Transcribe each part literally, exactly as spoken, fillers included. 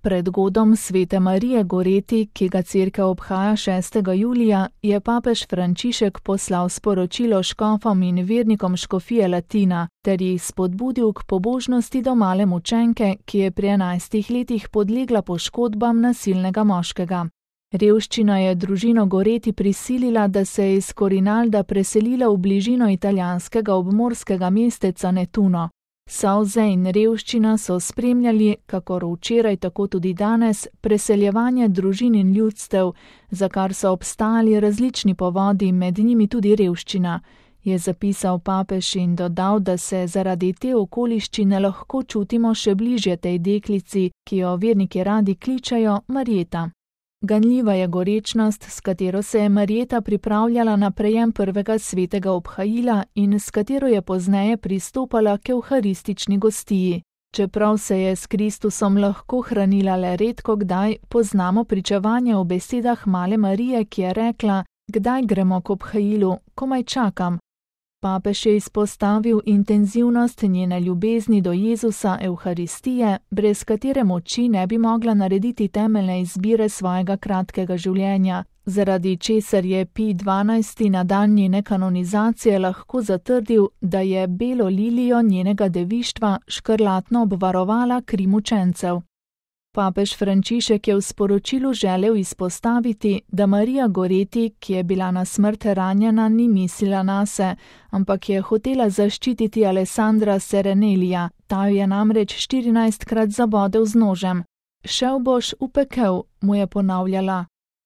Pred godom svete Marije Goreti, ki ga cerkev obhaja šestega julija, je papež Frančišek poslal sporočilo škofom in vernikom škofije Latina ter jih spodbudil k pobožnosti do male mučenke, ki je pri enajstih letih podlegla poškodbam nasilnega moškega. Revščina je družino Goreti prisilila, da se je iz Corinalda preselila v bližino italijanskega obmorskega mesteca Nettuno. Solze in revščina so spremljali, kakor včeraj tako tudi danes, preseljevanje družin in ljudstev, za kar so obstajali različni povodi, med njimi tudi revščina, je zapisal papež in dodal, da se zaradi te okoliščine lahko čutimo še bližje tej deklici, ki jo verniki radi kličejo Marjeta. Ganljiva je gorečnost, s katero se je Marjeta pripravljala na prejem prvega svetega obhajila in s katero je pozneje pristopala k evharistični gostiji. Čeprav se je s Kristusom lahko hranila le redko kdaj, poznamo pričevanje o besedah male Marije, ki je rekla: "Kdaj gremo k obhajilu, komaj čakam." Papež je izpostavil intenzivnost njene ljubezni do Jezusa Evharistije, brez katere moči ne bi mogla narediti temeljne izbire svojega kratkega življenja, zaradi česar je Pij dvanajsti na dan njene kanonizacije lahko zatrdil, da je belo lilijo njenega devištva škrlatno obvarovala kri mučencev. Papež Frančišek je v sporočilu želel izpostaviti, da Marija Goreti, ki je bila na smrt ranjena, ni mislila nase, ampak je hotela zaščititi Alessandra Serenelija, ta jo je namreč štirinajstkrat zabodel z nožem. "Šel boš v pekel," mu je ponavljala.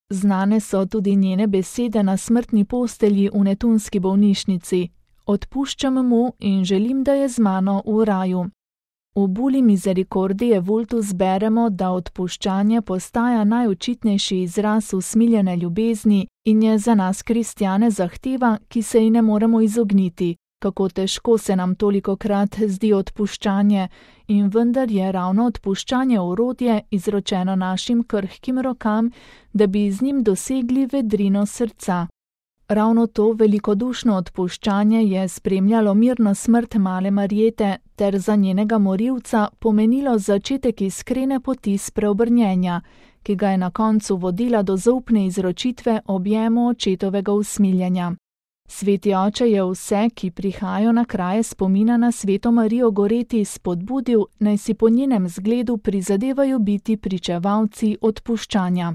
Znane so tudi njene besede na smrtni postelji v nettunski bolnišnici: "Odpuščam mu in želim, da je z mano v raju." V Buli Misericordiae Vultus beremo, da odpuščanje postaja najočitnejši izraz usmiljene ljubezni in je za nas kristjane zahteva, ki se ji ne moremo izogniti. Kako težko se nam tolikokrat zdi odpuščanje, in vendar je ravno odpuščanje orodje, izročeno našim krhkim rokam, da bi z njim dosegli vedrino srca. Ravno to velikodušno odpuščanje je spremljalo mirno smrt male Marjete ter za njenega morilca pomenilo začetek iskrene poti spreobrnjenja, ki ga je na koncu vodila do zaupne izročitve objemu očetovega usmiljenja. Sveti oče je vse, ki prihajajo na kraje spomina na sveto Marijo Goreti, spodbudil, naj si po njenem zgledu prizadevajo biti pričevalci odpuščanja.